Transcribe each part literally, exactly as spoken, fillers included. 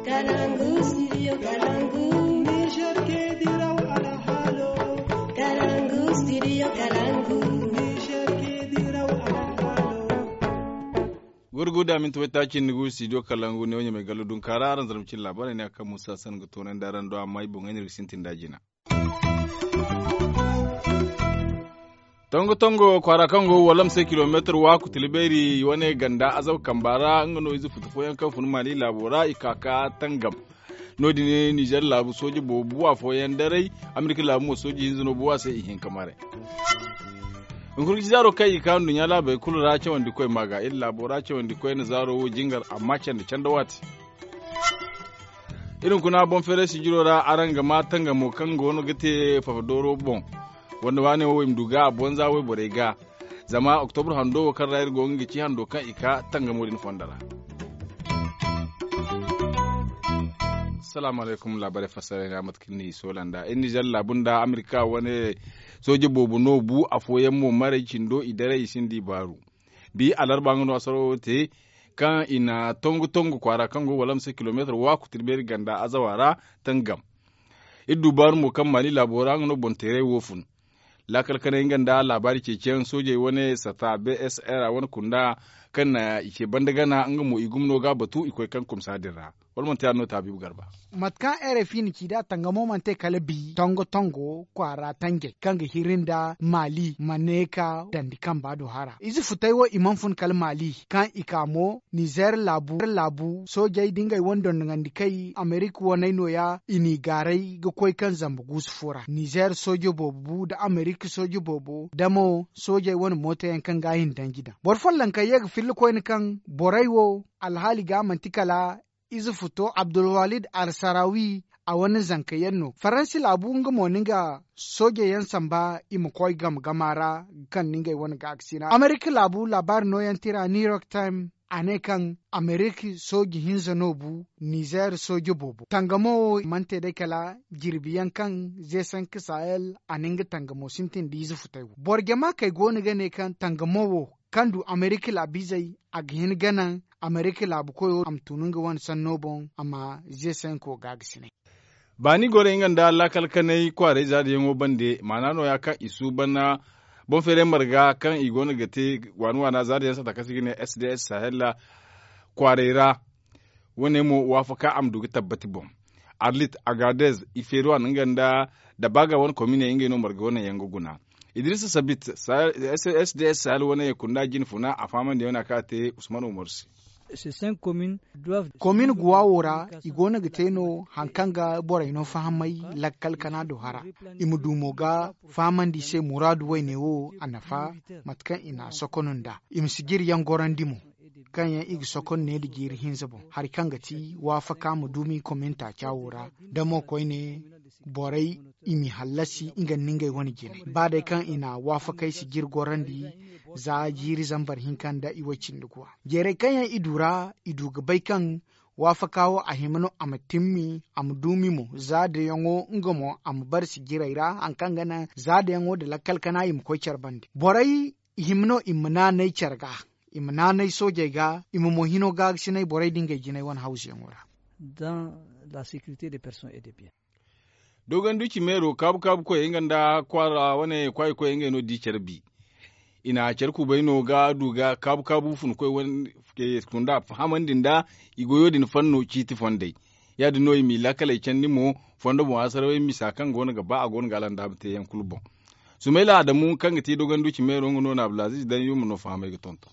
Kalangu, studio Kalangu. Niger ke diraw alhalo. Kalangu, studio Kalangu. Niger ke diraw alhalo. Gurguda minti waytaaci ni gu studio Kalangu ne wanya mai gallo dun kara aran zarma cin labarai ne akan musa san ga tonan da ran do amma i boŋ ga sintin da jina. Tongo tongo kwaara kaŋ go walam se kilomeetar waaku tilbeeri wane ganda azaw kamba ra nga no ize futu fooyaŋ kaŋ fun mali laabo ra i ka ka tangam. No- din nizer laabu sooje boobo buwa fooyaŋ daray. Amerika laabu mo sooje hinza no buwa se i hinka maray. Hunkuna ga ci zaaro kaŋ i ka nduɲɲa laabey kulu ra cawandi koy ma ga iri laabo ra cawandi koy na zaaro wo jingar amma canda canda waati. Iri hunkuna boŋ feeray sijiro ra araŋ ga ma tangamo kaŋ go no ga te fafadooro boŋ. Wanda waane wo i ma du ga a boŋ za wayborey ga. Zama oktobur hando wo kaŋ ra iri go nga ga ci hando kaŋ i ka tangamo din fondo ra. Salaamu alaykum laabaray fassara ra mate kaŋ ni soola nda iri nizer laabu nda amerika wane sooje boobo no bu afooyaŋ mo maray cindo i daray i sinda i baaru. Bi alarba nga no asaro te kaŋ i na tongu tongu kwaara kaŋ go wala ma se kilomeetar waaku tirbeeri ganda azawa ra tangam. Iri du baaru mo kaŋ mali laabo ra nga no boŋ teeray wo fun. Laakal kanay nga nda laabaari ceeciyaŋ soojey wane sata bsr a wane kunda kaŋ na i ce banda gana nga mo i gumno ga a batu i koy kaŋ kumsa din ra. Wala manti yaadin no taabiibu garba. Mate kaŋ rfi na ci nd'a tangamo mana te kala bi tongo tongo kwaara tanjey kaŋ ga hiri nda maali maneeka dandi kamba do hara ize futay wo i mana fun kala maali kaŋ i ka mo nizer laabu soojey da ngey wane dondonandi kay amerika waney nooya i n'i gaaray ga koy kaŋ zamba guusu fo ra nizer soojo boobo bu nda amerika soojo boobo da mo soojey wane mooto yaŋ kaŋ ga a hin danji daŋ boro folloŋ kaŋ ye ga filla koyne kaŋ borey wo alhaali ga manti kala ize futo abdulwalid alsarawi a wane zanka yaŋ no faransi laabu nga mo no nga soojey yaŋ samba i ma koy game gama ra ga kande ngey wane gaakasina amerika laabu laabaari nooyaŋ tira new york time a ne kaŋ amerika sooji hinza no bu nizer sooji boobo tangamo mana te day kala jirbi yaŋ kaŋ ze sanka sahel a na nga tangamo sintin da ize futay wo boro jama kay go no ga ne kaŋ tangamo wo kaŋ du amerika laabiizey a ga hin ga naŋ amerika laabu koyo a ma tun nga wane sanno boŋ a ma ze sanko gaagasinay. Baani gorey nga nda laakal kanay kwaaray zaadiyaŋo bande maana nooya kaŋ i suuban boŋ feeray marga kaŋ i go no ga te waana waana zaadiyaŋ sata kaŋ se i ga ne sds sahel kwaaray ra. Wane mo waafaka a ma du ga tabbati boŋ arlit agadez ifeeruwan nga nda dabaaga wane kominey ngey no marga wane yaŋ ga guna. Idrisa sabit sds sahel wane kunda jine funa a fahamandi yaŋ wane a kaŋ a te usman umaru se. Komin guwa wo ra i go no ga te no hari kaŋ ga borey no fahamay lakkal kana do hara i ma du mo ga fahamandi i se muraadu wayne wo a nafa mate kaŋ i na a sokono nd'a i ma si jiri yaŋ gorandi mo kaŋ yaŋ i ga sokono ne nda jiiri hinza boŋ hari kaŋ ga ti waafaka ma duumi komin taaca wo ra da mo koyne borey i m'i hallasi nga nda ngey wane jinay ba day kaŋ i na waafakey si jiri gorandi za jiiri zambar hinka nda i way cindi guwa jeeray kaŋ yaŋ i du ra i du ga bay kaŋ waafaka wo a hima no a ma timmi a ma duumi mo za dayaŋo nga mo a ma bare si jiray ra hari kaŋ ga naŋ za dayaŋo nda lakkal kana i ma koy care bande borey i hima no i ma naanay care ga i ma naanay soojey ga i ma mo hino gaagasinay borey nda ngey jinay wane hawzuyaŋo ra. Dogon duci meero kaabu kaabu koyey nga nda kwaara wane kwaayi koyey ngey no di care bi. I na care kubay no ga du ga kaabu kaabu fun koy wane kunda fahamandi nda i goyo din fanno ciiti fondey. Ya- din no i m'i laakaley candi mo fondo boŋ a sarawey misa kaŋ go no ga ba a go no ga alandaabu te yaŋ kulu boŋ. Sumayla adamu kaŋ ga ti dogon duci meero nga no na abdulaziz daŋ yuma no fahamay ga tonton.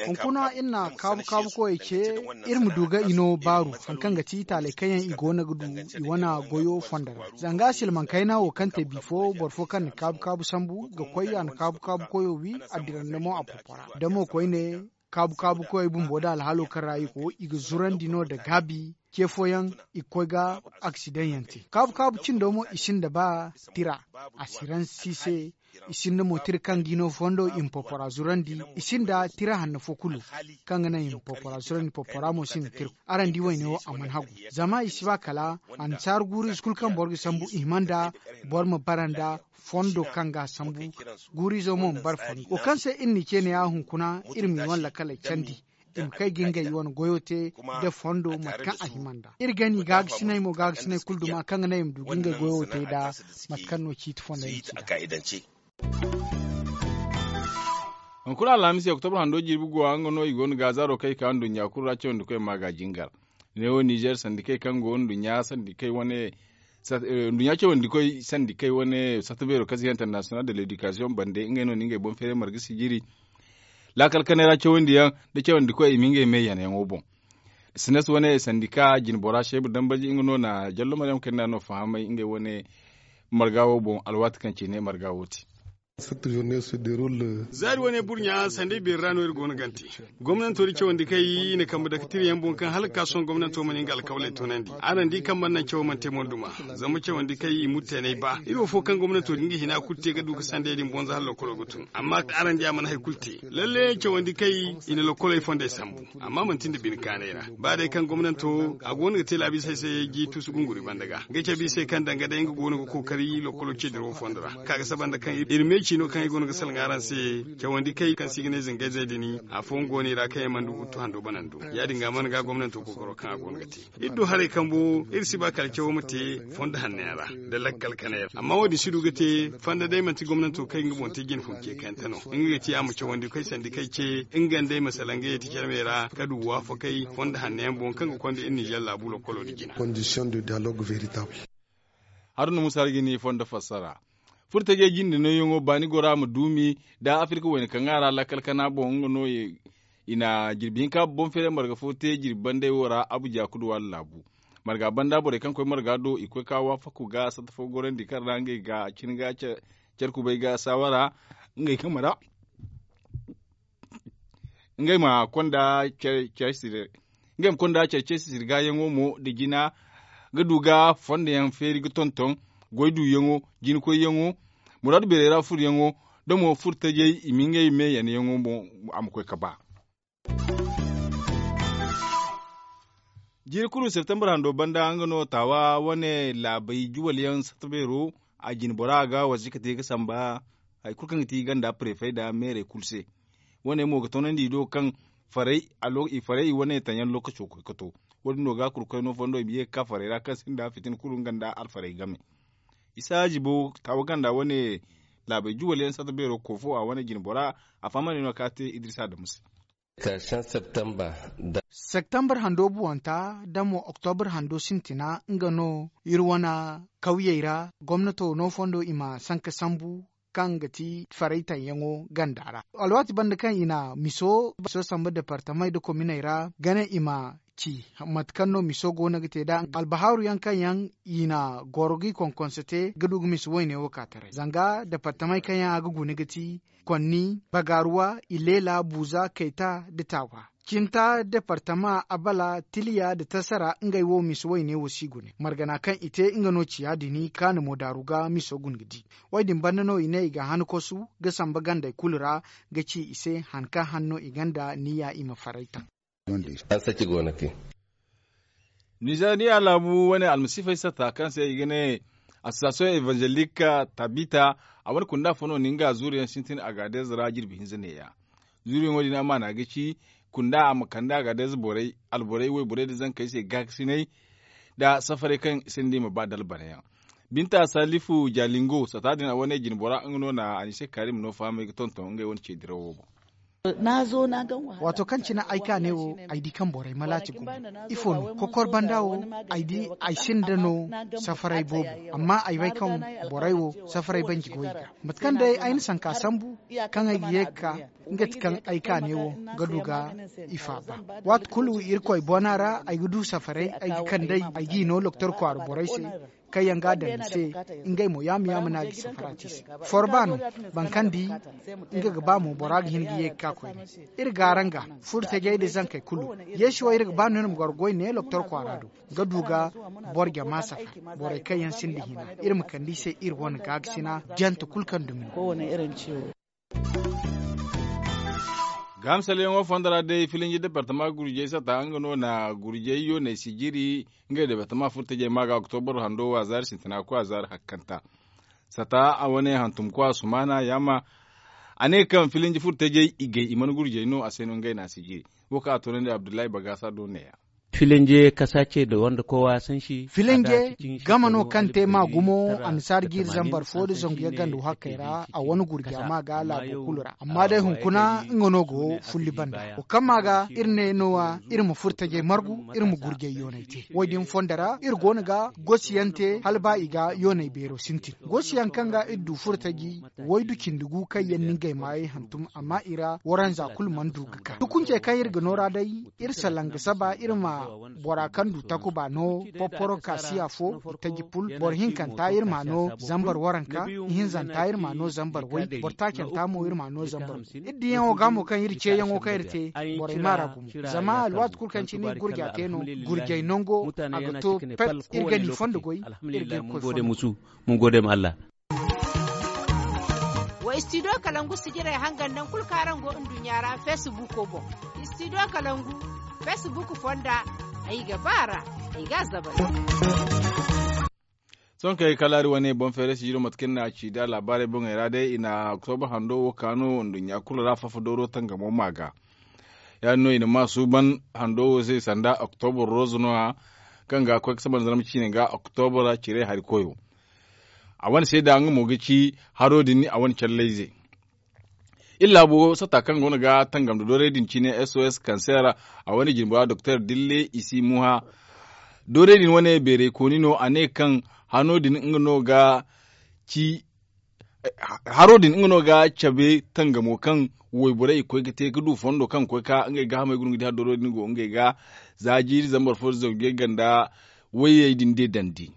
Hunkuna iri na kaabu kaabu koyey ce iri ma du ga i no baaru hari kaŋ ga ti itaaley kaŋ yaŋ i go no ga du i wane goyo fondo ra zanga silmaŋ kayna wo kaŋ te bifo boro fo kaŋ na kaabu kaabu sambu ga koy a na kaabu kaabu koyo wi a dira nda mo a popora da mo koyne kaabu kaabu koyey bumbo nda alhaalo kaŋ ra i go i ga zurandi no nda gaabi ce fooyaŋ i ga koy ga aksidaŋ yaŋ te kaabu kaabu cindo mo i sinda ba tira asiransi se i sinda mo tira kaŋ ga i no fondo i ma popora zurandi i sinda tira hanno fo kulu kaŋ ga naŋ i ma popora zurandi popora mo sinda tira araŋ di wayne wo a mana hagu zama i si ba kala annasaara guuru ize kulu kaŋ boro ga sambu i hima nda boro ma bara nda fondo kaŋ ga a sambu guuru izo mo ma bara fondo wo kaŋ se iri n'i ce ne ya hunkuna iri m'i wane lakkaley candi i ma kay ga ngey wane goyo te nda fondo mate kaŋ a hima nd'a. Iri gani gaagasiney mo gaagasiney kulu duma kaŋ ga naŋ i ma du ga ngey goyo te nd'a. Mate kaŋ no ciiti fondey ma ci nd'a. Hunkuna alhamis oktobra hando jirbi go a nga no i go no ga zaaro kaŋ i ka nduɲɲa kulu ra cawandi koy ma ga jingar. Ne wo nizer sandikey kaŋ go nduɲɲa sandikey wane nduɲɲa cawandi koy sandikey wane sata beero kaŋ se international de ledikasiyoŋ bande ngey no na ngey boŋ feeray marga sijiri. Laakal kanay ra cawandi yaŋ nda cawandi koy i ma ngey me yanayaŋo boŋ. Sines wane sandika jinbora sheebu dambaji nga no na jallo maryam kayna no fahamay ngey wane marga wo boŋ alwaati kaŋ cine marga wo te. Zaari wane burɲa sanday beeri ra no iri go no gante. Gomnanto da cawandi kay i na kambe dakatiriyaŋ boŋ kaŋ hala ga ka sohõ gomnanto mana nga alkawley toonandi araŋ di kaŋ mana naŋ cawo mana te moyduma. Zama cawandi kay i murteenay ba iri wo fo kaŋ gomnanto din ga hina kulu te ga du ga sanday din bonza hala lokolo ga tun amma araŋ di a mana hari kulu te. Lalle cawandi kay i na lokoley fondey sambu amma manti nda bine kaanay ra. Ba day kaŋ gomnanto a go no ga te laabisey se ji tusu gunguri banda ga ga cabe i se kaŋ danga day nga go no ga kookari lokolo ceediro fondo ra. Ka ga saba nda kaŋ iri meeci no kaŋ ay go no ga salaŋ araŋ se. Cawandi kay kaŋ se i ga ne zingayzey din afooyaŋ go no i ra kaŋ yaŋ mana du guttu hando banando. Ya- din ga mana ga gomnanto kookaro kaŋ a go no ga te. Iri du haray kambo iri si ba kala cawo ma te fondo hanno yaŋ ra nda lakkal kanay ra amma wo- din si du ga te fondo day manti gomnanto kaŋ ay ga nga boŋ te jine fun ce kayante no. Nga ga ti a ma cawandi koy sandi kay ce nga nda ay ma salaŋ ga ye ti carmey ra ga du waafakay fondo hanno yaŋ boŋ kaŋ ga konda iri nizer laabu lokolo nda jina. Haruna musa hari ga ni fondo fassara. Furtajey jinde nooyaŋo baani gora ma duumi nda afirka wayna kaŋ ga a ra lakkal kana boŋ nga no i na jirbi hinka boŋ feeray marga fo te jirbi banday wo ra abuja kuduwa laabu. Marga banda borey kaŋ koy marga do i koy ka waafaku ga satta fo gorandi kaŋ ra ngey ga cin ga care kubay ga saawara ngey kambe ra ngey ma konda care care sire ngey ma konda care care sire gaayaŋo mo nda jina ga du ga fondo yaŋ feeri ga tonton goy duuyaŋo jina koyyaŋo muraadu beerey ra furuyaŋo da mo furtajey i ma ngey me yanayaŋo mo a ma koy ga ba. Jiiri kulu septembre hando banda nga no taawa wane laabey juwal yaŋ satta beero a jine bora ga wasa ga te ga samba hari kulu kaŋ ga ti ganda prefey nda meerey kulu se. Wane mo ga toonandi i do kaŋ faray i faray i wane taŋ yaŋ lookaco koy ga to. Wo- din no ga kulu koy no fondo i ma ye ga ka faray ra kaŋ sinda fitina kulu nga nda alfarey game. Isa jibo taawa ganda wane laabey juwal yaŋ satta beero koofo a wane jine bora a fahamandi no ka te idrisa adamu se. Septembre hando buwanta da mo oktobre hando sintina nga no iri wane kawyey ra gomnato no fondo i ma sanka sambu kaŋ ga ti faray taŋ yaŋo ganda ra. Alwaati banda kaŋ i na miso samba departamey nda kominey ra gane i ma ci mate kaŋ no miso go no ga te nd'a albahaaru yaŋ kaŋ yaŋ i na goro ga i konkonse te ga du ga miso wayne wo ka taray zanga departamey kaŋ yaŋ a ga guna ga ti konni bagaaruwa ilela buuza kayta nda taawa cinta departama abala tiliya nda tasara ngey wo miso wayne wo si gune margana kaŋ i te nga no ciya din kaani mo daaru ga miso guna ga di. Wo- din banda no i ne i ga han kosu ga samba gandey kulu ra ga ci i se han kaŋ han no i ganda niya i ma faray taŋ. Nizeeriya laabu wane almasiifey satta kaŋ se i ga ne association evangelik tabita a wane kunda fo no ni nga zuuriyaŋ sintin agaadez ra jirbi hinza neeya. Zuuriyaŋo din amaana ga ci kunda a ma kande agaadez borey alborey wayborey nda zankey se gaakasinay nda safarey kaŋ i se ni di i ma ba dalbanayaŋ. Binta salifu jalingo sata din a wane jinbora nga no na anise karim no fahamay ga tonton ngey wane ce dirawo boŋ. Waato kaŋ cine ay ka ne wo ay di kaŋ borey malaati gumo ifo no kokor banda wo ay di ay sinda no safaray boobo amma ay bay kaŋ borey wo safaray banji go i ga mate kaŋ day ay na sanka sambu kaŋ ay ga ye ga ka nga ti kaŋ ay ka ne wo ga du ga i faaba. Waati kulu irkoy bona ra ay ga du safaray ay ga kand'ey ay g'i no loktor kwaara borey se kaŋ yaŋ ga a daŋ i se ngey mo yaama yaama no a ga i safara te i se. Forba no boro kaŋ di nga ga ba mo bora ga hin ga ye ga ka koyne. Iri ga araŋ ga furtajey nda zankey kulu yeesi wo iri ga ba no iri ma goro goy ne loktor kwaara do ga du ga boro jama safara borey kaŋ yaŋ sinda hina iri ma kande i se iri wane gaagasina jante kulu kaŋ dumi no. Gahamsalyaŋo fondo ra day filinji departama gurjey sata nga no na gurjey yooney sijiri ngey departama furtajey ma ga oktobar hando wa zaari sintina kwa zaari hakkanta. Sata a wane hantumkwa sumaana yaama a ne kaŋ filinji furtajey i gay i mana gurjey no a se no ngey na sijiri. Wo kaŋ a toonandi abdullahi bagaasa do neeya. Filanje kasa ce da wanda kowa san shi. Filanje game no kaŋ te ma gumo annasaara jiiri zambar fo nda zangu yaŋ ganda wo hakkey ra a wane gurja ma ga laabo kulu ra amma day hunkuna nga no go fulli banda wo kaŋ ma ga iri ne no- wa iri ma furo tajey margu iri ma gurjay yoonay te wo- din fondo ra iri go no ga gosi yaŋ te hala ba i ga yoonay beero sintin gosi yaŋ kaŋ ga iri du furo taji waydu cindi gu kaŋ yaŋ no ngey maayey hantum amma i ra waranza kulu mana du ga ka tukunce kaŋ iri ga noora day iri salaŋ ga saba iri ma bora kaŋ du takuba no porporo kaasi afo i taji pul boro hinkanta iri ma no zambar waranka ihinzanta iri ma no zambar way boro taacanta mo iri ma no zambar way iri diyaŋo ga mo kaŋ iri ceeyaŋo kaŋ iri te borey ma ra gumo zama alwaati kulu kaŋ cine iri gurja te no gurjay nango a ga to pet iri ga ni fondo goy iri ga iri koy fondo goy. Mun gode ma allah. Wa istidiyo kalangu sijirey hangan naŋ kulu kaŋ araŋ go nduɲɲa ra feesibuuko boŋ. Istidiyo kalangu feesibuuk fonda ay ga ba a ra ay ga a zabari. Sohõ kay kala hari wane boŋ feeray sijiro mate kaŋ ni na a ci nd'a laabaarey boŋey ra day i na oktobra hando wo ka no nduɲɲa kulu ra fafa dooro tangamo ma ga. Ya- din no i na ma suuban hando wo se sanda oktobra rooza no- ya kaŋ ga koy ga saba nda zarma ciine ga oktobra cire hari koyo. A wane seeda nga mo ga ci haro din a wane callayze. Iri laabo satta kaŋ go no ga tangam nda doorey din cine sos kanseera a wane jinbora doktor dille i si muha. Doorey din wane beerey kooni no a ne kaŋ hano din nga no ga ci haro din nga no ga cabe tangamo kaŋ wayborey i koy ga te ga du fondo kaŋ ga koy ga ka ngey gaahamey guna ga di hari doorey din go ngey ga za jiiri zambar fo nda zangu yagga nda wayey din deedandi.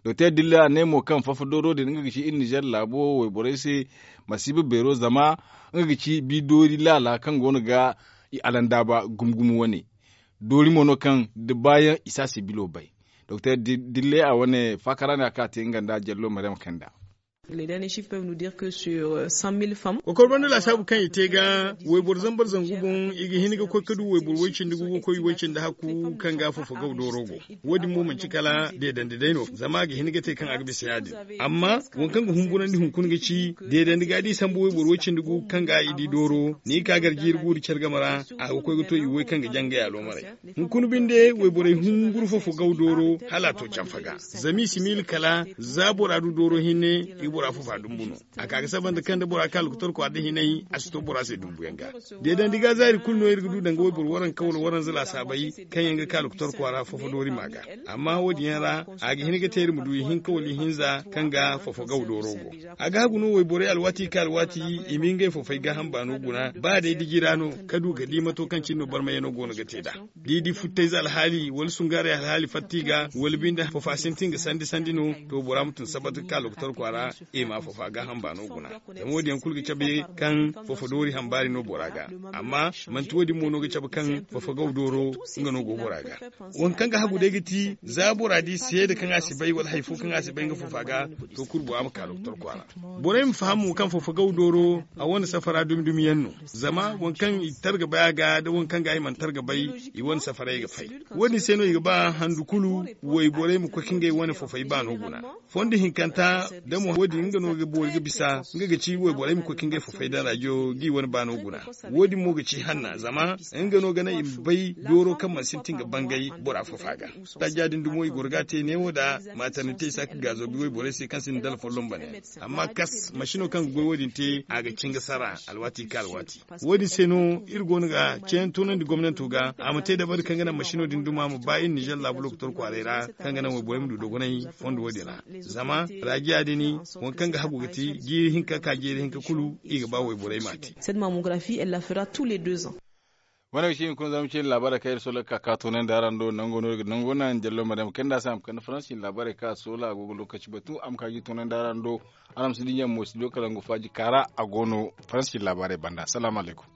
Doktor dilla a ne mo kaŋ fafa dooro din nga ga ci iri nizer laabo wayborey se masiiba beero zama nga ga ci bi doori laala kaŋ go no ga i alandaaba gumo gumo wane. Doori mo no kaŋ da baayaŋ i si a se bilo bay. Doktor dilla a wane faakara ne a kaŋ a te nga nda jallo mariyam kanda. Kokor banda laasaabu kaŋ i te ga wayboro zambar zangu boŋ i ga hin ga koy ga du wayboro way- cindi gu ga koy way- cindi hakku kaŋ ga fofo gaw dooro go. Wo- din mo manci kala deedandi day no zama a ga hin ga te kaŋ a ga bisa ya- din. Amma waŋ kaŋ ga humburandi hunkuna ga ci deedandi ga da i sambu wayboro way- cindi gu kaŋ ga i di dooro ni ga ka gar jiiri guuri care game ra a ga koy ga to i way kaŋ ga jangay aloomaray. Hunkuna binde wayborey humburu fofo gaw dooro hala a to canfa ga zama i si miila kala za bora du dooro hinne i ga bora fofo a dumbu no. A ka ga saba nda kaŋ da bora ka lokotor kwaara da hinay a si to bora se dumbuyaŋ ga. Deedandi ga zaari kulu no iri ga du danga wayboro waranka wala waranza laasaabey kaŋ yaŋ ga ka lokotor kwaara fofo doori ma ga. Amma wo- din yaŋ ra a ga hin ga te iri ma du ihinka wala ihinza kaŋ ga fofo gaw dooro go. A ga hagu no wayborey alwaati ga ka alwaati i ma ngey fofey gaaham baano guna ba day diji ra no ka du ga di mato kaŋ cine no barmayaŋo go no ga te nd'a. Da i di futtayze alhaali wala sungaarey alhaali fatta i ga wala binde fofo a sintin ga sandi sandi no to bora ma tun sabat ga ka lokotor kwaara i ma fofo a gaaham baano guna. Zama wo- din yaŋ kulu ga cabe kaŋ fofo doori hambaari no bora ga. Amma manti wo- din mo no ga cabe kaŋ fofo gaw dooro nga no go bora ga. Waŋ kaŋ ga hagu day ga ti za bora di seeda kaŋ a si bay wala hari fo kaŋ a si bay nga fofo a ga to kulu bora ma ka lokotor kwaara. Borey ma faham mo kaŋ fofo gaw dooro a wane safara dumi dumi yaŋ no. Zama waŋ kaŋ i tar ga bay a ga da waŋ kaŋ ga i mana tar ga bay i wane safaray ga fay. Wo- din se no i ga ba handu kulu wayborey ma koy ka ngey wane fofey baano guna. Fondo hinkanta da mo wo- din nga no ga boori ga bisa nga ga ci wayborey ma koy ka ngey fofey daŋ rajo ga i wane baano guna. Wo- din mo ga ci hanna zama nga no ga naŋ i ma bay dooro kaŋ mana sintin ga bangay bora fofa ga. Tajja din dumo i goro ga te neewo nda matarnitey saaka gaazo ga wayborey se kaŋ sinda dala folloŋ bane. Amma kas masino kaŋ ga goy wo- din te a ga cin ga sara alwaati ga ka alwaati. Wo- din se no iri go no ga ceeyaŋ toonandi gomnanto ga a ma te dabari kaŋ ga naŋ masino din duma ma ba iri nizer laabu lokotor kwaaray ra kaŋ ga naŋ wayborey ma du dogonay fondo wo- din ra. Zama raajiya din waŋ kaŋ ga hagu ga ti jiiri hinka ka jiiri hinka kulu i ga ba wayborey ma te. Cette mammographie elle la fera tous les deux ans. Wane ga ci hunkuna zama cine laabaarey kaŋ iri sohõ ga ka ka toonandi araŋ do nango no iri ga nango naŋ jallo ma daŋ ma kande a se a ma kande faransi cine laabaarey kaŋ a soola a go ga lookaci batu a ma ka ga i toonandi araŋ do. Araŋ ma si dinya mo studio kalangu faaji kaara a go no faransi cine laabaarey banda salaamu alaykum.